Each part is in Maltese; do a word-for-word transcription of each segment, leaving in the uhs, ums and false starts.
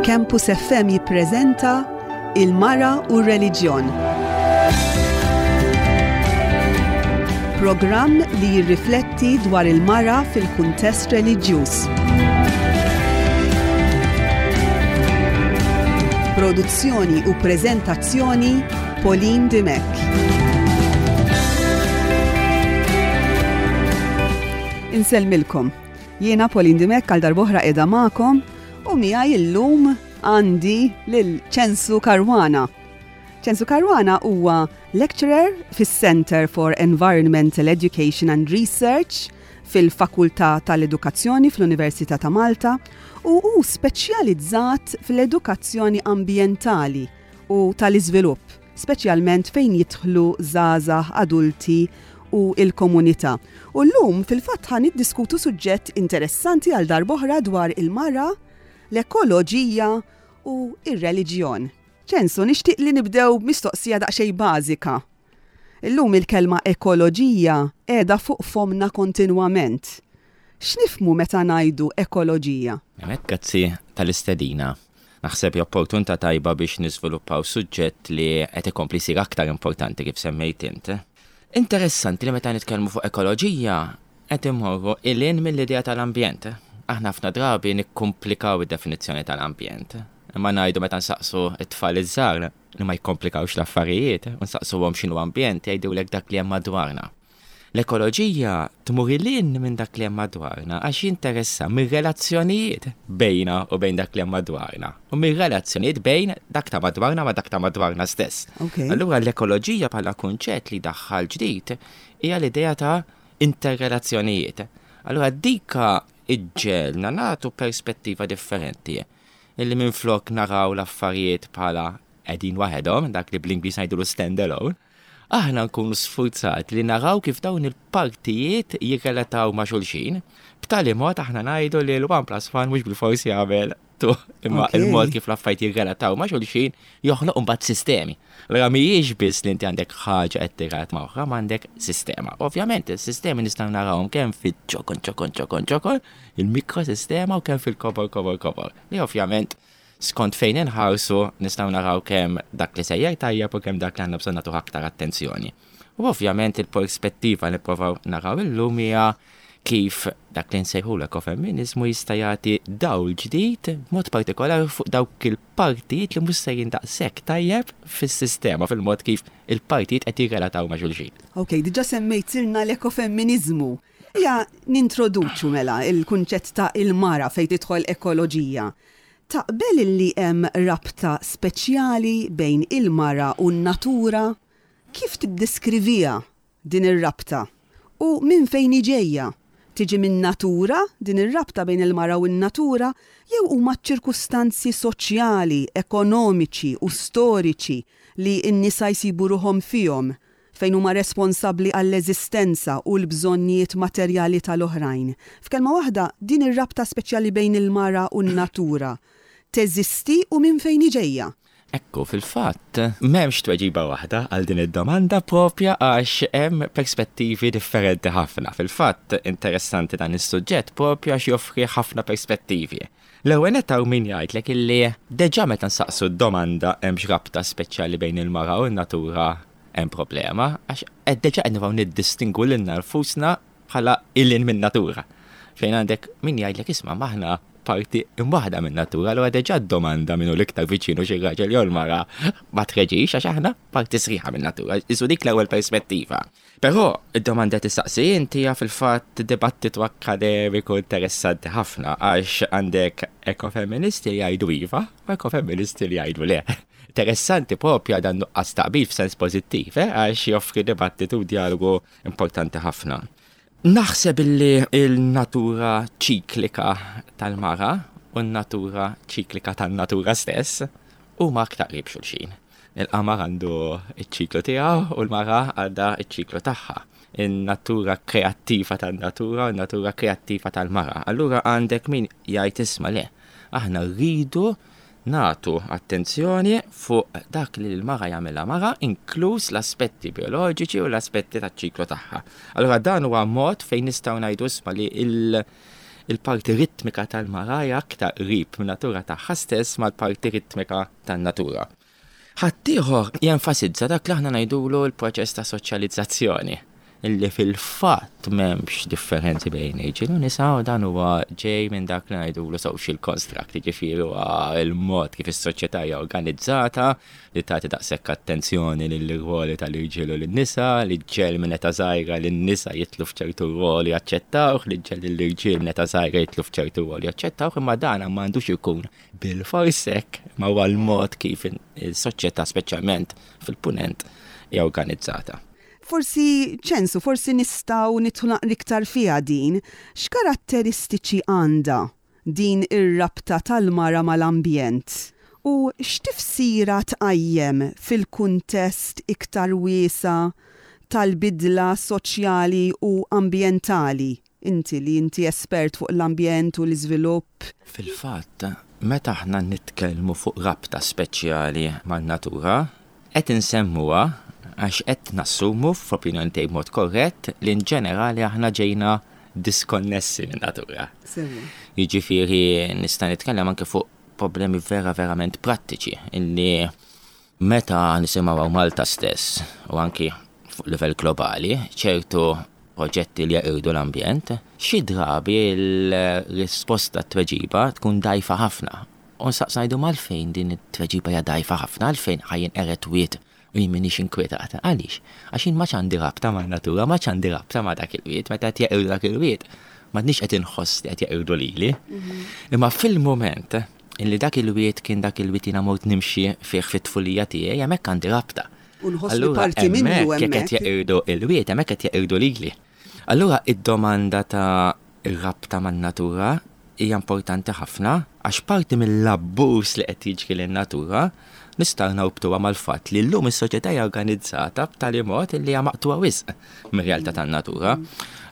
Campus F M jippreżenta Il-Mara u r-Reliġjon. Programm li jirrifletti dwar il-mara fil-kuntest reliġjuż. Produzzjoni u preżentazzjoni, Pauline Dimech. Insellmilkom. Jiena Pauline Dimech, għal darb'oħra qiegħda magħkom u miegħi illum għandi lil Ċensu Caruana. Ċensu Caruana huwa lecturer fis-Center for Environmental Education and Research fil-Fakultà tal-Edukazzjoni fl-Università ta' Malta u hu speċjalizzat fl-edukazzjoni ambjentali u tal-iżvilupp, speċjalment fejn jidħlu żgħażagħ, adulti u il-komunità. U llum fil-fatt ħa niddiskutu suġġett interessanti għal darb'oħra dwar il-mara, l-ekoloġija u ir-reliġjon. Ċensu, nixtieq li nibdew mistoqsija daqsxejn bażika. Illum il-kelma ekoloġija qiegħda fuq fomna kontinwament. X'nifhmu meta ngħidu ekoloġija? Hemmhekk, grazzi tal-istedina. Naħseb opportunità tajba biex niżviluppaw suġġett li qed ikompli jsir aktar importanti, kif semmejt int. Interessanti li meta nitkellmu fuq ekoloġija qed immorru lil hinn mill-idea tal-ambjent. Aħna ħafna drabi nikkomplikaw id-definizzjoni tal-ambjent. Imma ngħidu, meta nsaqsu it-tfal iż-żgħar li ma jikkomplikawx l-affarijiet, u nsaqsuhom x'inhu ambjent, jgħidulek dak li hemm madwarna. L-ekoloġija tmur lil hinn minn dak li hemm madwarna għax jinteressa mir-relazzjonijiet bejna u bejn dak li hemm madwarna u mir-relazzjonijiet bejn dak ta' madwarna ma' dak ta' madwarna stess. Okay. Allura l-ekoloġija bħala kunċett li daħħal ġdid hija l-idea ta' interrelazzjonijiet. Allura dika iġġegħelna nagħtu perspettiva differenti. Illi minflok naraw l-affarijiet bħala qegħdin waħedhom, dak li bl-Ingliż ngħidulu stand alone, aħna nkunu sfurzati li naraw kif dawn il-partijiet jirrelataw ma' xulxin, b'tali mod aħna ngħidu li l-one plus one mhux bil-forsi jagħmel two, imma Ok. il-mod kif l-affarijiet jirrelataw ma' xulxin joħloq mbagħad sistemi. Allura mhijiex biss li inti għandek ħaġa qed tirrelata ma' oħra, ma għandek sistema. Ovvjament is-sistemi nistgħu narawhom kemm fiċ-ċokon, ċokon, ċokon, ċokon, il-mikrosistema, u kemm fil-kobor, kobor, kobor. Li ovvjament skont fejn inħarsu nistgħu naraw kemm dak li sejjer tajjeb u kemm dak li għandna bżonn nagħtuh aktar attenzjoni. U ovvjament il-perspettiva li nipprovaw naraw illum hija kif dak li nsejħu l-ekofemminizmu jista' jagħti dawl ġdid b'mod partikolari fuq dawk il-partijiet li mhux sejrin daqshekk tajjeb fis-sistema, fil-mod kif il-partijiet qed jirrelataw ma' xulxin. Ok, diġa semmejtilna l-ekofemminizmu. Ejja nintroduċu mela il-kunċett ta' il-mara fejn tidħol ekoloġija. Taqbel li hemm rabta speċjali bejn il-mara u n-natura? Kif tiddeskrivija din ir-rabta? U minn fejn ġejja? Tiġi minn natura din ir-rabta bejn il-mara u n-natura, jew huma ċirkustanzi soċjali, ekonomiċi u storiċi li n-nisa jsibu ruħhom fihom, fejn huma responsabbli għall-eżistenza u l-bżonnijiet materjali tal-oħrajn? F'kelma waħda, din ir-rabta speċjali bejn il-mara u n-natura teżisti u minn fejn ġejja? Ekku, fil-fatt, m'hemmx tweġiba waħda għal din id-domanda propja għax hemm perspettivi differenti ħafna. Fil-fatt, interessanti dan is-suġġett propja għax joffri ħafna perspettivi. L-ewwel nett hawn min jgħidlek illi deġà meta nsaqsu d-domanda hemmx rabta speċjali bejn il-mara u n-natura, hemm problema, għax qed deġà qed nibgħu niddistingwu lilna nfusna bħala lil hinn min-natura. Fejn għandek min jgħidlek, isma', m'aħna parti imwaħda minn natura, allura deġà domanda minnu l-iktar viċinu, xi raġel jew l-mara, ma treġix għax aħna parti sħiħa minn natura. Isu dik l-ewwel perspettiva. Però id-domanda tistaqsi inti hija fil-fatt dibattitu akademiku interessanti ħafna, għax għandek ekofeministi li jgħidu iva u ekofeministi li jgħidu le. Interessanti propja dan nuqqas taqbil f'sens pożittiv, eh, għax joffri dibattitu u dialogu importanti ħafna. Naħseb illi il-natura ċiklika tal-mara u n-natura ċiklika tan-natura stess huma aktar qrib xulxin. Il-qamar għandu iċ-ċiklu tiegħu u l-mara għandha iċ-ċiklu tagħha. In-natura kreattiva tan-natura u n-natura kreattiva tal-mara. Allura għandek min jgħid, isma' le, aħna rridu nagħtu attenzjoni fuq dak li l-mara jagħmilha mara, inkluż l-aspetti bioloġiċi u l-aspetti taċ-ċiklu tagħha. Allura dan huwa mod fejn nistgħu ngħidu, isma', li il- Il-parti ritmika tal-mara hija aktar qrib min-natura tagħha stess mal-parti ritmika tan-natura. Ħaddieħor jenfasizza dak li aħna ngħidulu l-proċess ta' soċjalizzazzjoni, illi fil-fatt m'hemmx differenzi bejn irġiel u nisa, u dan huwa ġej minn dak li ngħidulu social construct, jiġifieri huwa il-mod kif is-soċjetà hija organizzata li tagħti daqshekk attenzjoni lill-rwoli tal-irġiel u lin-nisa, li ġġiegħel minn età żgħira lin-nisa jidħlu f'ċertu rwoli jaċċettawh, li ġġiegħel lill-irġiel minn età żgħira jidħlu f'ċertu rwoli jaċċettawh, imma dan m'għandux ikun bilfors hekk, ma huwa l-mod kif is-soċjetà, speċjalment fil-punent, hija organizzata. Forsi, Ċensu, forsi nistgħu nidħlu iktar fiha din. X'karatteristiċi għandha din ir-rabta tal-mara mal-ambjent? U x'tifsira tqajjem fil-kuntest iktar wiesa' tal-bidla soċjali u ambjentali? Inti li inti espert fuq l-ambjent u l-iżvilupp. Fil-fatt, meta aħna nitkellmu fuq rabta speċjali man-natura, qed insemmuha għax qed nassumu, f'opinjoni tiegħi b'mod korrett, li in ġenerali aħna ġejna diskonnessi minn natura. Jiġifieri nista' nitkellem anke fuq problemi vera verament prattiċi illi meta nisimgħu Malta stess u anki fuq livell globali ċertu proġetti li jaqirdu l-ambjent, xi drabi l-risposta, t-tweġiba tkun dgħajfa ħafna. U nsaqsu ngħidu, għalfejn din it-tweġiba hija dgħajfa ħafna? Għalfejn ħa jinqered wied u jien m'iniex inkwetat? Għaliex? Għax jien m'għandix għandi rabta ma' natura, m'għandix għandi rabta ma' dak il-wied. Meta qed jeqirdu dak il-wied, m'għadniex qed inħoss li qed jeqirdu lili. Imma fil-moment illi dak il-wied kien dak il-wied jiena mort nimxi fih fit-tfulija tiegħi, hemmhekk għandi rabta. U nħoss li parti minnu hemmhekk jekk qed hemmhekk. jeqirdu il-wied, hemmhekk qed jeqirdu lili. Allura id-domanda ta' ir-rabta man-natura hija importanti ħafna, għax parti mill-abbuż li qed jiġri lin-natura nistgħu norbtuha mal-fatt li llum is-soċjetà hija organizzata b'tali mod li hija maqtugħa wisq mir-realtà tan-natura.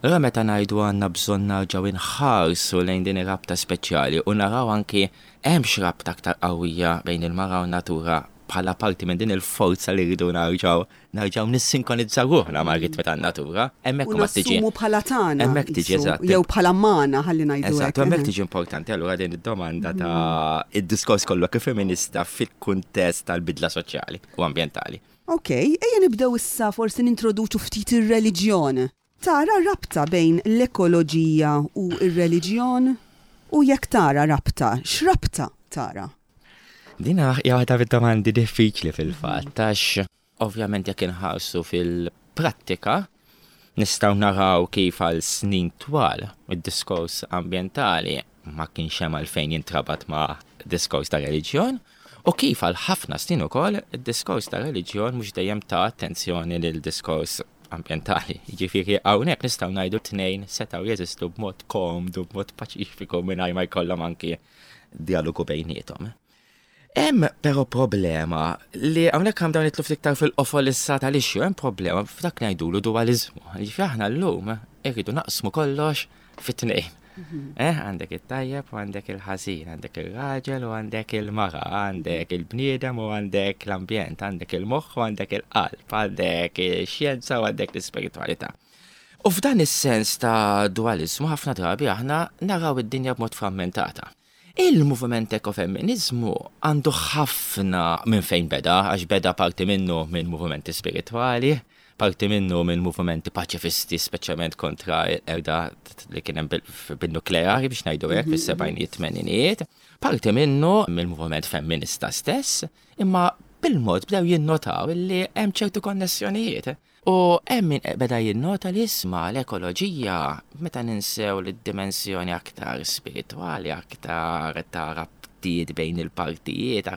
Allura meta ngħidu għandna bżonn narġgħu inħarsu lejn din ir-rabta speċjali u naraw anki hemmx rabta aktar qawwija bejn il-mara u n-natura bħala parti minn din il-forza li rridu narġgħu nerġgħu nissinkonizzaw ruħna ma' ritmi tan-natura, hemmhekk U huma tiġi. nassumu bħala tagħna. Hemmhekk tiġi, qisu, eżatt. Jew bħala magħna, ħalli ngħidu Eżatt, hekk. hemmhekk tiġi importanti allura din id-domanda ta' id-diskors kollu kif femminista fil-kuntest tal-bidla soċjali u ambjentali. Ok, ejja nibdew issa forsi nintroduċu ftit ir-reliġjon. Tara rabta bejn l-ekoloġija u ir-reliġjon? U jekk tara rabta, x'rabta tara? Dina hija waħda mid-domandi diffiċli fil-fatt, għax ovvjament jekk inħarsu fil-prattika nistgħu naraw kif għal snin twal id-diskors ambjentali ma kienx hemm għalfejn jintrabat ma' diskors ta' reliġjon u kif għal ħafna snin ukoll id-diskors ta' reliġjon mhux dejjem ta attenzjoni lil diskors ambjentali. Jiġifieri hawnhekk nistgħu ngħidu tnejn setgħu jeżistu b'mod komdu, b'mod paċifiku, mingħajr ma jkollhom anki dialogu bejniethom. Hemm però problema li hawnhekk hemm dawn nidħlu iktar fil-qofol issa tal-issue, hemm problema f'dak li ngħidulu dualizmu. Jiġifieri aħna llum irridu naqsmu kollox fit-tnejn. Eh, għandek it-tajjeb u għandek il-ħażin, għandek il-raġel u għandek il-mara, għandek il-bniedem u għandek l-ambjent, għandek il-moħħ u għandek il-qalb, għandek il-xjenza u għandek l-ispiritualità. U f'dan is-sens ta' dualizmu ħafna drabi aħna naraw id-dinja b'mod frammentata. Il-moviment ekofemminizmu għandu ħafna minn fejn beda, għax beda parti minnu minn movimenti spirituali, parti minnu minn movimenti paċifisti, speċjalment kontra l-qerda li kien hemm bil-nukleari, biex ngħidu hekk, fis-sebgħinijiet, tmeninijiet, parti minnu mill-moviment femminista stess, imma bil-mod bdew jinnotaw li hemm ċertu konnessjonijiet. U hemm min beda jinnota li, isma', l-ekoloġija, meta ninsew l-dimensjoni aktar spirituali, aktar ta' rabtiet bejn il-partijiet,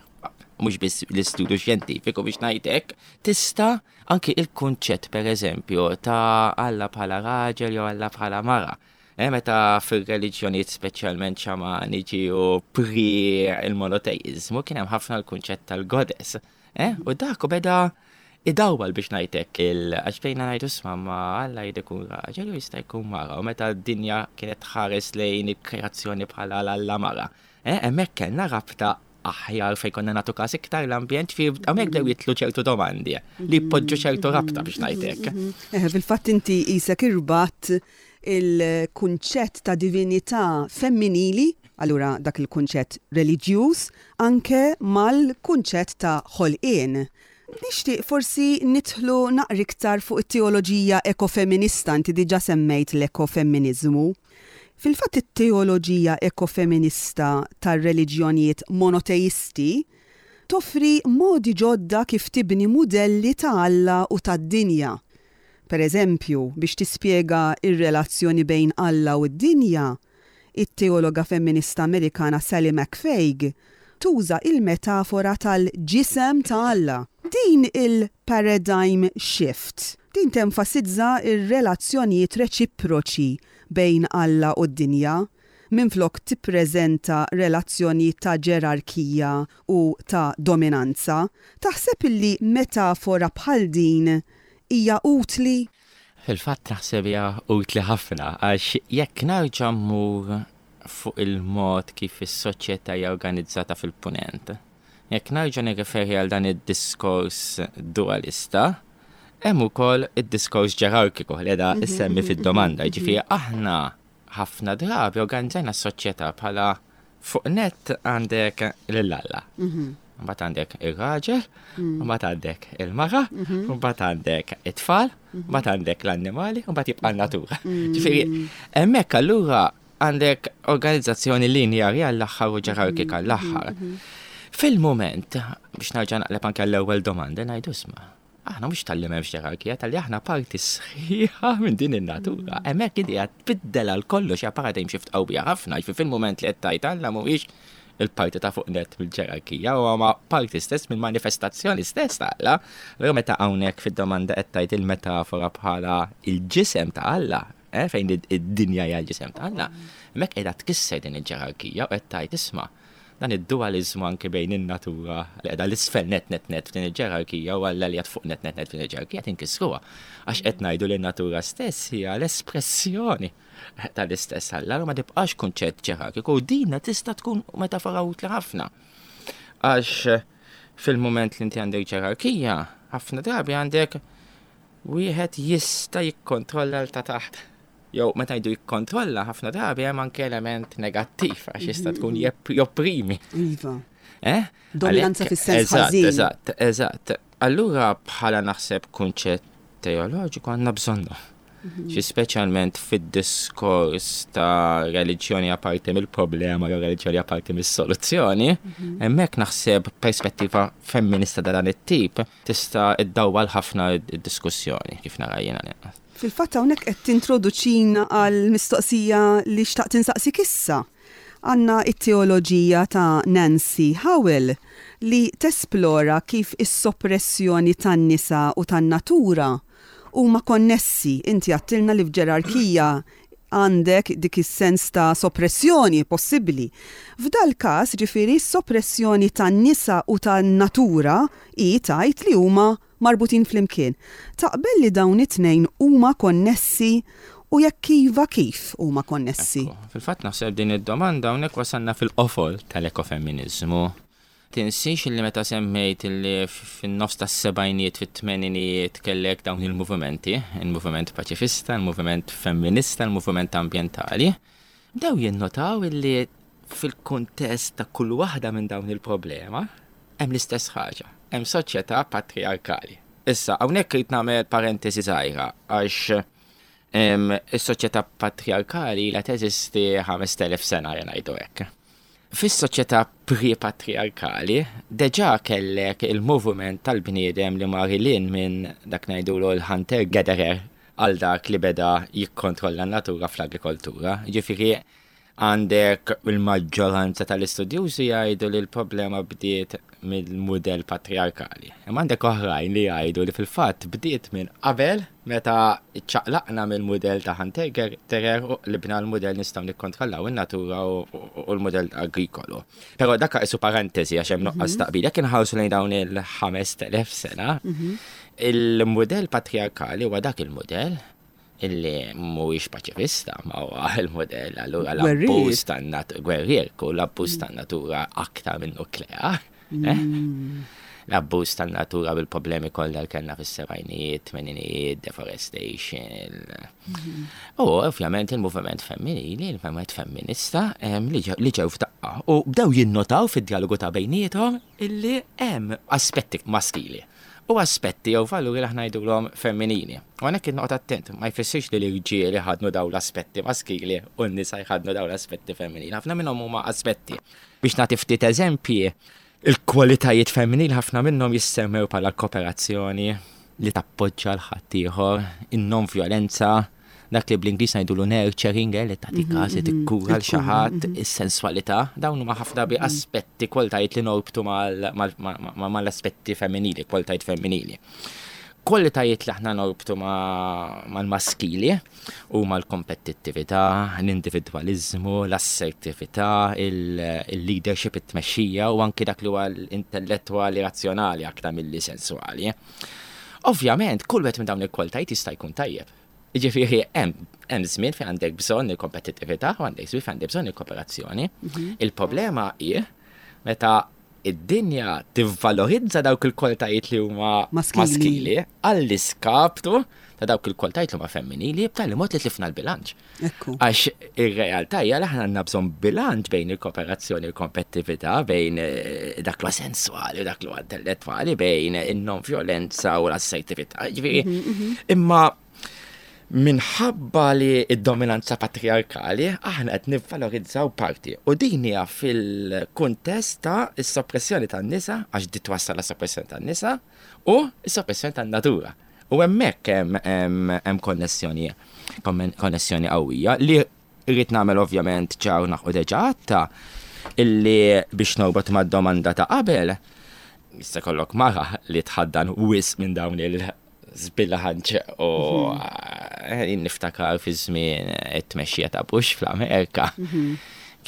mhux biss l-istudju xjentifiku, biex ngħidlek, tista' anki il-kunċett, per eżempju, ta' Alla bħala raġel jew Alla bħala mara. Eh, meta fil-reliġjonijiet, speċjalment xamaniċi u pre il-monoteizmu, kien hemm ħafna l-kunċett tal-goddess. Eh, u dak u beda idawwal, biex ngħidlek, il għax bejna ngħidu, isma', ma Alla jrid ikun raġel u jista' jkun mara, u meta d-dinja kienet tħares lejn il-kreazzjoni bħala l-Alla mara. Eh, hemmhekk kellna rabta aħjar fejn konna nagħtu każ iktar l-ambjent, fi hawnhekk bdew jidħlu ċertu domandi li jpoġġu ċertu rabta, biex ngħidlek. Eh, fil-fatt inti qisek irbatt Il-kunċett ta' divinità femminili, allura dak il-kunċett reliġjuż, anke mal-kunċett ta' ħolqien. Nixtieq forsi nidħlu naqra iktar fuq it-teoloġija ekofeminista, inti diġà semmejt l-ekofeminiżmu. Fil-fatt, it-teoloġija ekofeminista tar-reliġjonijiet monoteisti toffri modi ġodda kif tibni mudelli ta' Alla u tad-dinja. Per eżempju, biex tispjega ir-relazzjoni bejn Alla u d-dinja, it-teologa femminista Amerikana Sallie McFague tuża il-metafora tal-ġisem ta' Alla. Din il-paradigm shift, din tenfasizza ir-relazzjonijiet reċiproċi bejn Alla u d-dinja, minflok tippreżenta relazzjoni ta' ġerarkija u ta' dominanza. Taħseb illi metafora bħal din hija utli? Fil-fatt naħseb hija utli ħafna, għax jekk nerġa' mmur fuq il-mod kif is-soċjetà hija organizzata fil-punent, jekk nerġa' nirreferi għal dan id-diskors dualista, hemm ukoll id-diskors ġerarkiku li qiegħda issemmi fid-domanda. Ġifieri aħna ħafna drabi organizzajna s-soċjetà bħala fuq nett għandek lil Alla. Mbagħad għandek ir-raġel, mbagħad għandek il-mara, mbagħad għandek it-tfal, mbagħad għandek l-annimali, mbagħad jibqa' n-natura. Ġifieri hemmhekk allura għandek organizzazzjoni linjari għall-aħħar u ġerarkika għall-aħħar. Fil-moment, biex nerġa' naqleb anke l-ewwel domanda, ngħidu isma', aħna mhux talli m'hemmx ġerarkija, talli aħna parti sħiħa minn din in-natura. Hemmhekk idea tbiddel għal kollox, hija paradigm shift qawwija ħafna, ġifieri fil-moment li qed tgħid Alla mhuwiex il-parti ta' fuq nett mill-ġerarkija, u ma parti stess mill-manifestazzjoni stess ta' Alla. Allura meta hawnhekk fid-domanda qed tgħid il-metafora bħala il-ġisem ta' Alla, eh, fejn id-dinja hija l-ġisem ta' Alla, hemmhekk qiegħda tkisser din il-ġerarkija u qed tgħid isma', dan id-dualizmu anke bejn in-natura li qiegħda l-isfel net net net f'din il-ġerarkija u Alla li fuq net net net f'din il-ġerarkija tinkisruha. Għax qed ngħidu li n-natura stess hija l-espressjoni tal-istess Alla, ma tibqax kunċett ġerarkiku u dina tista' tkun metafora utli ħafna. Għax fil-moment li inti għandek ġerarkija, ħafna drabi għandek wieħed jista' jikkontrolla l ta' taħt. Jew meta jgħidu jikkontrolla, ħafna drabi hemm anke element negattiv għax jista' tkun jopprimi. Iva. Eh? Dominanza fis-sens ħażin. Eżatt, eżatt. Allura bħala naħseb kunċett teoloġiku għandna bżonnu. Xi speċjalment fid-diskors ta' reliġjoni apparti mill-problema jew reliġjoni apparti mis-soluzzjoni, hemmhekk naħseb perspettiva femminista ta' dan it-tip tista' iddawwal ħafna id-diskussjoni kif nara jiena. Fil-fatt hawnhekk qed tintroduċina għal mistoqsija li xtaqt insaqsik issa. Għandna it-teoloġija ta' Nancy Howell li tesplora kif is-soppressjoni tan-nisa u tan-natura huma konnessi. Inti għedtilna li f'ġerarkija għandek dik is-sens ta' soppressjoni possibbli. F'dal każ, ġifieri, soppressjoni tan-nisa u tan-natura hi tgħid li huma marbutin flimkien. Taqbel li dawn it-tnejn huma konnessi u jekk iva, kif huma konnessi? Fil-fatt naħseb din id-domanda hawnhekk wasalna fil-qofol tal-ekofeminiżmu. Tinsix li meta semmejt li fin-nofs tas-sebgħinijiet, fit-tmeninijiet kellek dawn il-movimenti, il-moviment paċifista, il-moviment femminista, il-moviment ambjentali, bdew jinnotaw illi fil-kuntest ta' kull waħda minn dawn il-problema hemm l-istess ħaġa, hemm soċjetà patriarkali. Issa, hawnhekk irid nagħmel parentesi żgħira għax is-soċjetà patriarkali la teżisti ħamest elef sena, ngħidu hekk. Fis-soċjetà pre-patriarkali, deġa kellek il-movement tal-bniedem li mar lil hinn minn dak ngħidulu l-hunter-gatherer għal dak li beda jikkontrolla n-natura fl-agrikoltura. Ġifieri għandek il-maġġoranza tal-istudjużi jgħidu li l-problema bdiet mill-mudell patriarkali. Imma għandek oħrajn li jgħidu li fil-fatt bdiet minn qabel, meta ċaqlaqna mill-mudell ta' hunter-gatherer u li bna l-mudell nistgħu nikkontrollaw in-natura u l-mudell agrikolu. Però dak isu parentesi għax hemm nuqqas taqbil. Jekk inħarsu lejn dawn il-ħamest elef sena, il-mudell patriarkali huwa dak il-mudell illi mhuwiex paċifista, ma huwa il-modell allura l-abbuż tan-natura, gwerrier, u l-abbuż tan-natura aktar minn nuklear. Eh? L-abbuż tan-natura bil-problemi kollha li kellna fis-sebgħinijiet, tmeninijiet, deforestation. U ovvjament il-moviment femminili, il-moviment femminista li ġew f'daqqa u bdew jinnotaw fid-dialogu ta' bejniethom illi hemm aspetti maskili u aspetti jew valuri li aħna ngħidulhom femminili. U hawnhekk noqgħod attent, ma jfissirx li l-irġiel jħaddnu dawn l-aspetti maskili u n-nisa jħaddnu dawn l-aspetti femminili. Ħafna minnhom huma aspetti. Biex nagħti ftit eżempji, il-kwalitajiet femminili ħafna minnhom jissemmew bħala kooperazzjoni, li tappoġġa 'l ħaddieħor, in-non-violenza, dak li bl-Ingliż ngħidulu nurturing, eh, li tagħti mhm, każ li mhm, tikkura 'l xi ħadd, mhm. is-sensualità, dawn huma ħafna bi aspetti, kwalitajiet li norbtu mal-aspetti femminili, kwalitajiet femminili. Kwalitajiet li aħna norbtu mal-maskili huma l-kompetittività, l-individwaliżmu, l-assertività, il-leadership, it-tmexxija u anki dak li huwa l-intellettwali razzjonali aktar milli sensuali. Ovvjament, kull wieħed minn dawn il-kwalitajiet jista' jkun tajjeb. Ġifieri hemm żmien fejn għandek bżonn il-kompetittività u għandek żmien fejn għandek bżonn il-kooperazzjoni. Mhm. Il-problema hi meta id-dinja tivvalorizza dawk il-kwalitajiet li huma maskili għall-iskaptu ta' dawk il-kwalitajiet li huma femminili, b'tali mod li tlifna l-bilanċ. Għax ir-realtà hija li aħna għandna bżonn bilanċ bejn il-kooperazzjoni u l-kompetittività, bejn eh, dak li sensuali u dak li intellettwali, bejn in-non-violenza u l-assertività. Ġifieri, mhm, mhm. imma minħabba li id-dominanza patriarkali aħna qed nivvalorizzaw parti. U din hija fil-kuntest ta' is-soppressjoni tan-nisa, għax di twassal la soppressjoni tan-nisa, u s-soppressjoni tan-natura. U hemmhekk hemm konnessjoni konnessjoni qawwija li rrid nagħmel ovvjament ċar naħu deġa għatta illi biex norbot mad-domanda ta' qabel, jista' jkollok mara li tħaddan wisq minn dawn il żbilanċ u mhm. eh, niftakar fi żmien it-tmexxija ta' Bush fl-Amerika. Mhm.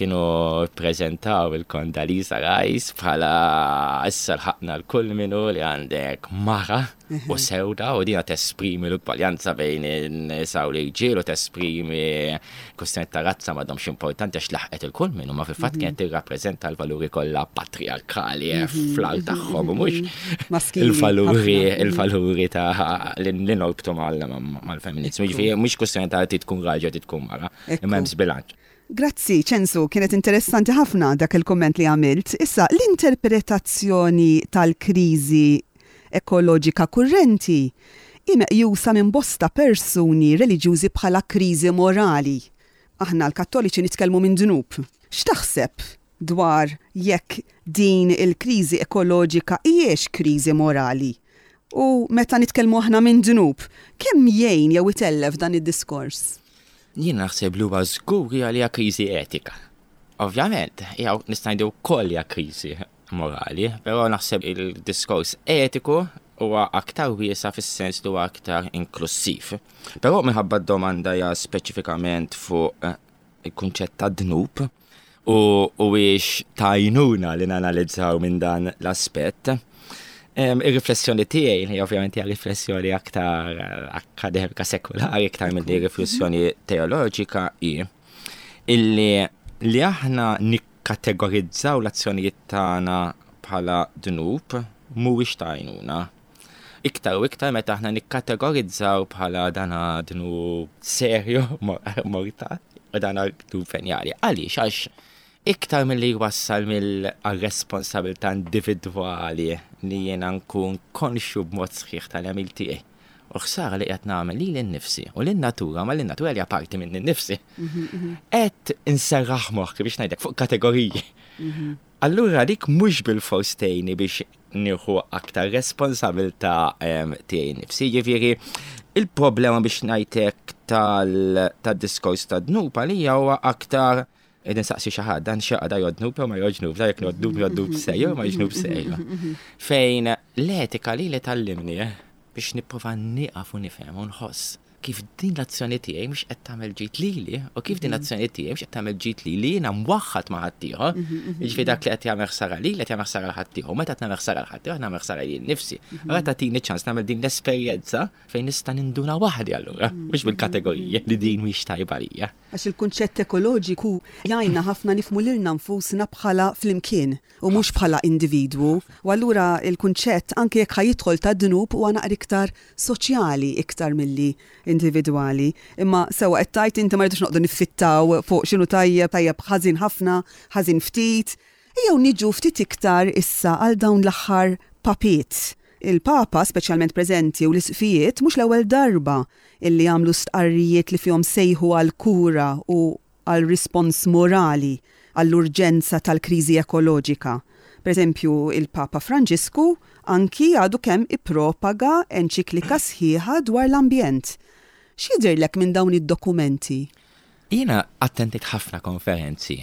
Kienu prezentaw il-Condoleezza Rice bħala issa lħaqna l-kulminu li għandek mara u sewda u dina tesprimi l-ugwaljanza bejn in-nisa u l-irġiel u tesprimi kwistjoni ta' razza m'għadhomx importanti għax laħqet il-kulminu, ma fil-fatt mhm. kienet tirrappreżenta l-valuri kollha patriarkali eh, mhm. fl-għal tagħhom u mhux il-valuri il-valuri ta' li norbtu mal-feminizmu. Jiġifieri mhux kwistjoni ta' tkun raġel, tkun mara, imma hemm żbilanċ. Grazzi, Ċensu, kienet interessanti ħafna dak il-komment li għamilt. Issa, l-interpretazzjoni tal-kriżi ekoloġika kurrenti hi meqjusa minn bosta persuni reliġjużi bħala kriżi morali. Aħna l-Kattoliċi nitkellmu minn dnub. X'taħseb dwar jekk din il-kriżi ekoloġika hijiex kriżi morali? U meta nitkellmu aħna minn dnub, kemm jgħin jew itellef dan id-diskors? Jien naħseb li huwa żgur li hija kriżi etika. Ovvjament, jew nista' ngħidu wkoll hija kriżi morali, però naħseb il-diskors etiku huwa aktar wiesa' fis-sens li huwa aktar inklussiv. Però minħabba d-domanda hija speċifikament fuq eh, il-kunċett ta' dnub u huwiex tajnuna li nanalizzaw minn dan l-aspett. Ir-riflessjoni tiegħi li ovvjament hija riflessjoni aktar eh, akademika sekulari aktar milli riflessjoni teoloġika hi illi li aħna nikkategorizzaw l-azzjonijiet tagħna bħala dnub mhuwiex ta' għajnuna. Iktar u iktar meta aħna nikkategorizzaw bħala dana dnub serju mortal u dana dnub venjali. Għaliex? Għax iktar milli jwassal mill-responsabilità individwali li jiena nkun konxju b'mod sħiħ tal-għemil tiegħi u ħsara li qed nagħmel lili nnifsi u lin-natura, ma lin-natura li parti minn nnifsi. Mhm, mhm. Qed inserraħ moħħi biex ngħidlek fuq kategoriji. Mhm. Allura dik mhux bil-fors tgħinni biex nieħu aktar responsabilità tiegħi nnifsi. Jiġifieri il-problema biex ngħidlek tad-diskors ta' dnub għalija huwa aktar Ed insaqsi xi ħadd dan xi da jodnub jew ma jodnub, da jekk jodnub jodnub sejjer ma jodnub sejjer. Fejn l-etika li li tallimni eh, biex nipprova nieqaf u nifhem u nħoss Kif din l-azzjoni tiegħi mhux qed tagħmel ġid lili u kif din l-azzjoni tiegħi mhux qed tagħmel ġid lili jiena mwaħħad ma' ħaddieħor. Jiġifieri dak li qed jagħmel ħsara lili qed jagħmel ħsara ħaddieħor. Meta qed nagħmel ħsara ħaddieħor nagħmel ħsara lili nnifsi. Allura tagħtini ċans nagħmel din l-esperjenza fejn nista' ninduna waħdi allura, mhux bil-kategoriji li din mhix tajba lija. Għax il-kunċett ekoloġiku jgħinna ħafna nifhmu lilna nfusna bħala flimkien u mhux bħala individwu. U allura il-kunċett anke jekk ħa jidħol ta' dnub huwa naqra iktar soċjali iktar milli individwali. Imma sewwa qed tgħid inti ma rridux noqogħdu niffittaw fuq x'inhu tajjeb, tajjeb ħażin ħafna, ħażin ftit. Ejjew niġu ftit iktar issa għal dawn l-aħħar papiet. Il-Papa, speċjalment preżenti u l-isqfijiet, mhux l-ewwel darba illi għamlu stqarrijiet li fihom sejħu għal kura u għal rispons morali għall-urġenza tal-kriżi ekoloġika. Per eżempju, il-Papa Franġisku anki għadu kemm ippropaga enċiklika sħiħa dwar l-ambjent. X'jidhirlek minn dawn id-dokumenti? Jiena attendejt ħafna konferenzi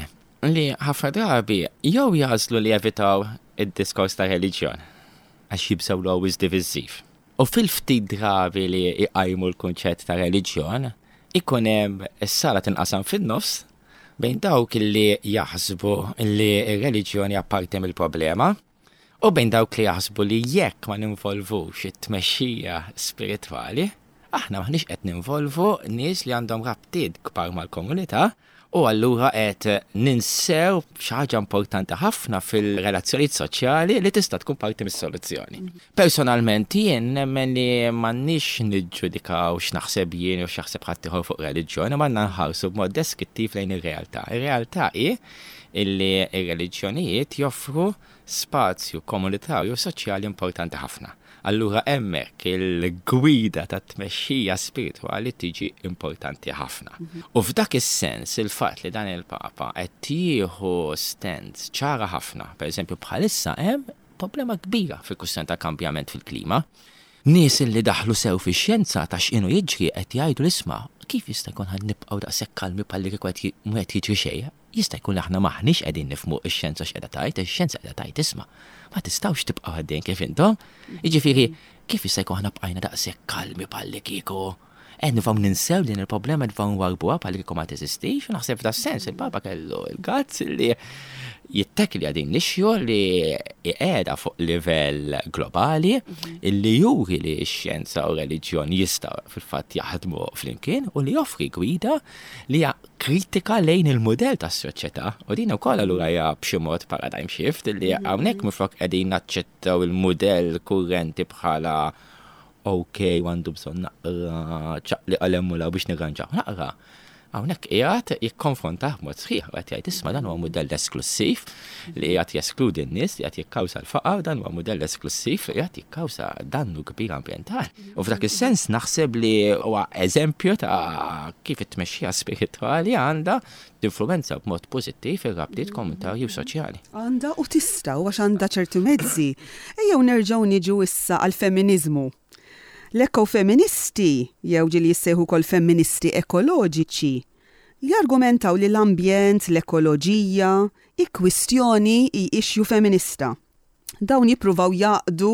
li ħafna drabi jew jagħżlu li jevitaw id-diskors ta' reliġjon għax jibżgħu li always divisiv. U fil-ftit drabi li jqajmu l-kunċett ta' reliġjon, ikun hemm is-sala tinqasam fin-nofs bejn dawk li jaħsbu li r-reliġjoni apparti mill-problema u bejn dawk li jaħsbu li jekk ma ninvolvux it-tmexxija spiritwali, aħna maħniex qed ninvolvu nies li għandhom rabtiet kbar mal-komunità u allura qed ninsew xi ħaġa importanti ħafna fil-relazzjonijiet soċjali li tista' tkun parti mis-soluzzjoni. Personalment jien nemmen li m'għandniex niġġudikaw x'naħseb jien u x'jaħseb ħaddieħor fuq reliġjoni, ma għandna nħarsu b'mod deskrittiv lejn ir-realtà. Ir-realtà hi illi ir-reliġjonijiet joffru spazju komunitarju soċjali importanti ħafna. Allura hemmhekk il-gwida ta' tmexxija spiritwali tiġi importanti ħafna. U f'dak is-sens il-fatt li dan il-Papa qed jieħu stance ċara ħafna, pereżempju bħalissa hemm problema kbira fil-kwistjoni ta' kambjament fil-klima. Nies li daħlu sew fix-xjenza ta' x'inhu jiġri qed jgħidu l-isma' kif jista' jkun ħa nibqgħu daqshekk kalmi bħalli kieku qed mhu qed jiġri xejn. Jista' jkun li aħna maħniex qegħdin nifhmu x-xjenza x'qiegħda tgħid, ix-xjenza qiegħda tgħid isma' ma tistgħux tibqgħu għaddejn kif intom. Jiġifieri kif jista' jkun aħna bqajna daqshekk kalmi bħalli kieku qed nifhmu ninsew din il-problema nifhmu nwarbuha bħalli kieku ma teżistix, u naħseb f'da sens il-Papa kellu il-guts li jittekli din l-issue li qiegħda fuq livell globali illi juri li x-xjenza u reliġjon jistgħu fil-fatt jaħdmu flimkien u li joffri gwida li hija kritika lejn il-mudell tas-soċjetà. U din ukoll allura hija b'xi mod paradigm shift illi hawnhekk minflok qegħdin naċċettaw il-mudell kurrenti bħala ok, għandu bżonn naqra ċaqli qalem u biex nirranġaw. Naqra. Hawnhekk qiegħed jikkonfrontah b'mod sħiħ u qed jgħid isma' dan huwa mudell esklusiv li qiegħed jeskludi n-nies, li qiegħed jikkawża l-faqar, dan huwa mudell esklusiv li qiegħed jikkawża dannu kbir ambjentali. U f'dak is-sens naħseb li huwa eżempju ta' kif it-tmexxija spiritwali għandha tinfluwenza b'mod pożittiv ir-rabtiet komunitarji u soċjali. Għandha u tista' u għax għandha ċerti mezzi. Ejjew nerġgħu niġu issa għall-feminiżmu. L-ekofeministi, jew ġieli jissejħu wkoll femministi ekoloġiċi, jargumentaw li l-ambjent, l-ekoloġija, hi kwistjoni hi issue feminista. Dawn jippruvaw jgħaqqdu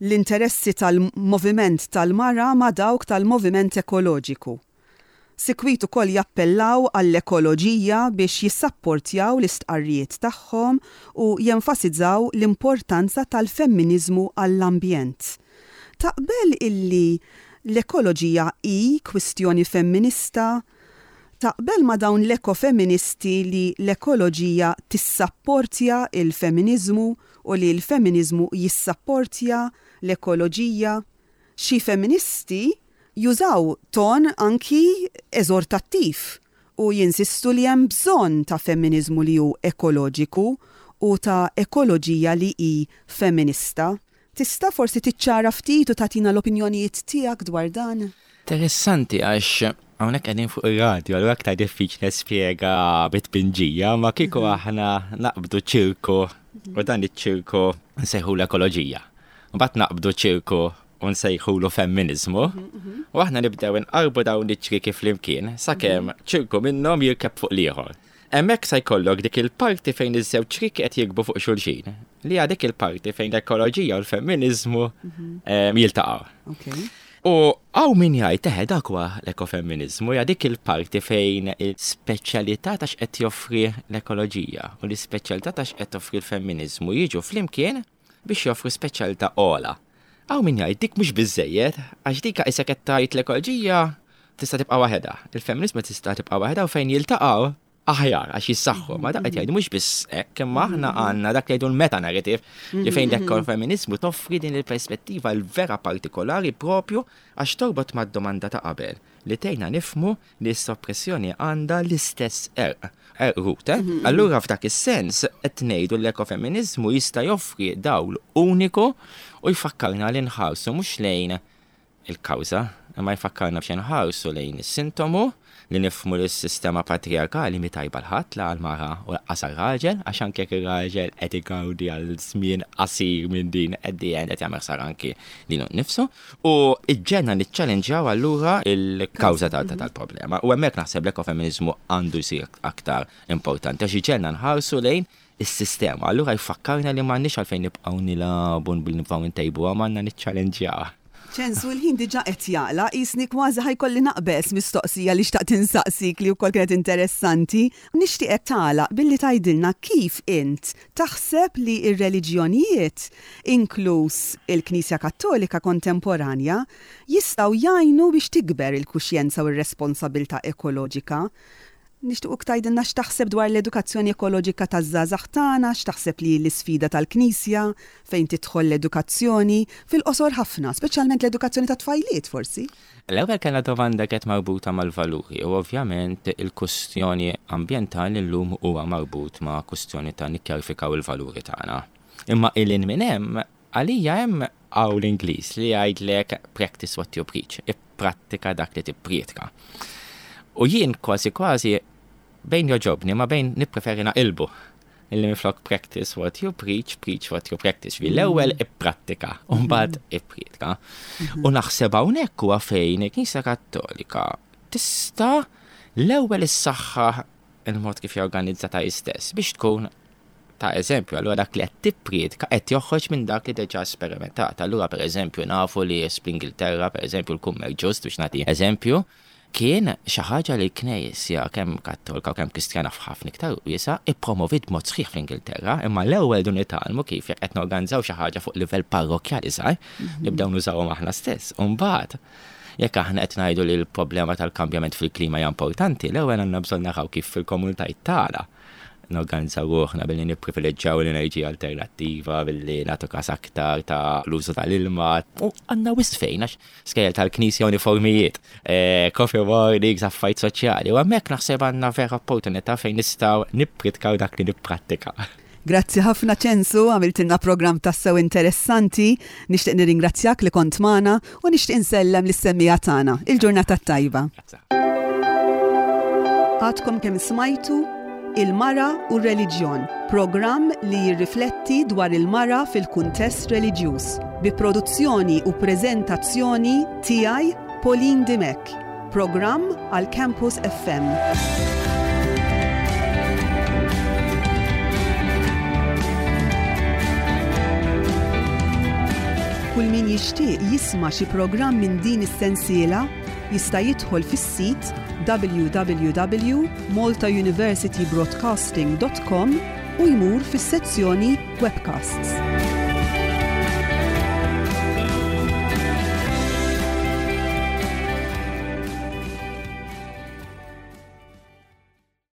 l-interessi tal-moviment tal-mara ma' dawk tal-moviment ekoloġiku. Sikwit ukoll jappellaw għall-ekoloġija biex jissapportjaw l-istqarrijiet tagħhom u jenfasizzaw l-importanza tal-femminizmu għall-ambjent. Taqbel illi l-ekoloġija hi kwistjoni femminista? Taqbel ma dawn l-ekofeministi li l-ekoloġija tissapportja il-feminiżmu u li l-feminiżmu jissapportja l-ekoloġija? Xi feministi jużaw ton anki eżortattiv u jinsistu li hemm bżonn ta' feminiżmu li hu ekoloġiku u ta' ekoloġija li hi femminista. Tista' forsi tiċċara ftit u tagħtina l-opinjonijiet tiegħek dwar dan? Interessanti għax hawnhekk qegħdin fuq ir-radju, allura aktar diffiċli nispjega bit-tpinġija, ma kieku aħna naqbdu ċirku u dan iċ-ċirku nsejħu l-ekoloġija. Mbagħad naqbdu ċirku u nsejħulu femminizmu, u aħna nibdew inqarbu dawn iċ-ċrieki flimkien sakemm ċirku minnhom jirkeb fuq l-ieħor. Hemmhekk se jkollok dik il-parti fejn iż-żewġ ċrieki qed jirkbu fuq xulxin, li hija dik il-parti fejn l-ekoloġija u l-femminizmu jiltaqgħu. Okay. U Hawn min jgħid eħe dak huwa l-ekofemminizmu, hija dik il-parti fejn il-speċjalità ta' x'qed joffri l-ekoloġija u l-ispeċjalità ta' x'qed toffri l-femminizmu jiġu flimkien biex joffru speċjalità ogħla. Hawn min jgħid dik mhux biżejjed, għax dik qisek qed tgħid l-ekoloġija tista' tibqa' waħedha, il-femminizmu tista' tibqa' waħedha u fejn jiltaqgħu aħjar għax jissaħħu, ma dak qed jgħidu mhux biss hekk, imma aħna għandna dak li jgħidu l-meta narrative li fejn l-ekofemminizmu toffri din il-perspettiva l-vera partikolari propju għax torbot mad-domanda ta' qabel li tgħinna nifhmu li s-soppressjoni għandha l-istess għerq, għerq root, eh? Allura f'dak is-sens qed ngħidu l-ekofemminizmu jista' joffri dawl uniku u jfakkarna li nħarsu mhux lejn il-kawża, imma jfakkarna biex nħarsu lejn is-sintomu li nifhmu li s-sistema patriarkali mi tajba lil ħadd, la għal-mara u lanqas għal-raġel, għax anke jekk ir-raġel qed igawdi għal żmien qasir minn din at the end qed jagħmel ħsara anki lilu nnifsu. U iġġenna niċċallenġjaw allura il-kawża tal-problema. U hemmhekk naħseb l-ekofemminizmu għandu jsir aktar importanti għax iġġenna nħarsu lejn is-sistema. Allura jfakkarna li m'għandniex għalfejn nibqgħu nilagħbu billi nibqgħu ntejbuha, m'għandna niċċallenġjawha. Ċensu, l-ħin diġa qed jagħlaq, qisni kważi ħa jkolli naqbeż mistoqsija li xtaqt insaqsik li wkoll kienet interessanti. Nixtieqek tagħlaq billi tgħidilna kif int taħseb li r-reliġjonijiet, inkluż il-Knisja Kattolika kontemporanja, jistgħu jgħinu biex tikber il-kuxjenza u r-responsabilità ekoloġika. Nixtiequk tgħidilna x'taħseb dwar l-edukazzjoni ekoloġika taż-żgħażagħ tagħna, x'taħseb li l-isfida tal-Knisja fejn tidħol l-edukazzjoni fil-qosor ħafna, speċjalment l-edukazzjoni ta' tfajliet forsi. L-ewwel kellna domanda kienet marbuta mal-valuri u ovvjament il-kustjoni ambjentali llum huwa marbut ma' kustjoni ta' nikkjarifikaw il-valuri tagħna. Imma ilin minn hemm għalija hemm hawn l-Ingliż li jgħidlek "practice what you preach", ipprattika dak li tipprietka. U jien kważi kważi bejn jogħġobni ma bejn nippreferi naqilbu. Illi minflok "practice what you preach, preach what you practice". Fi l-ewwel ipprattika, u mbagħad ipprietka. U naħseb hawnhekk huwa fejn il-Knisja Kattolika tista' l-ewwel issaħħa il-mod kif jorganizzata hi stess biex tkun ta' eżempju. Allura dak li qed tipprietka qed joħroġ minn dak li diġà sperimentat. Allura pereżempju nafu li fl-Ingilterra, pereżempju l-kummerċ ġust, biex nagħti eżempju, kien xi ħaġa li l-Knisja kemm Kattolika u kemm Kristjana f'ħafna iktar wiesa ippromovit b'mod sħiħ fl-Ingilterra, imma l-ewwel dun nitgħallmu kif jekk qed norganizzaw xi ħaġa fuq livell parrokkjali żgħar, nibdew nużawhom aħna stess. U mbagħad jekk aħna qed ngħidu li l-problema tal-kambjament fil-klima hija importanti, l-ewwel għandna bżonn naraw kif fil-komunitajiet tagħna norganizzaw ruħna billi nipprivileġġjaw l-enerġija alternattiva, billi nagħtu kas aktar ta' l-użu tal-ilma. U għandna wisq fejn, għax skejjel tal-knisja, uniformijiet, eh, coffee mornings, affarijiet soċjali. U hemmhekk naħseb għandna vera opportunità fejn nistgħu nippritkaw dak li nipprattika. Grazzi ħafna Ċensu, għamiltilna program tassew interessanti. Nixtieq nirringrazzjak li kont magħna u nixtieq insellem lis-semmiegħa tagħna. Il-ġurnata tajba. Grazzi. Għadkom kemm smajtu Il-Mara u r-Reliġjon, programm li jirrifletti dwar il-mara fil-kuntest reliġjuż, bi produzzjoni u preżentazzjoni tiegħi, Pauline Dimech. Programm għal Campus F M. Kull min jixtieq jisma' xi programm minn din is-sensiela jista' jidħol fis-sit w w w punt maltauniversitybroadcasting punt com u jmur fis-sezzjoni webcasts.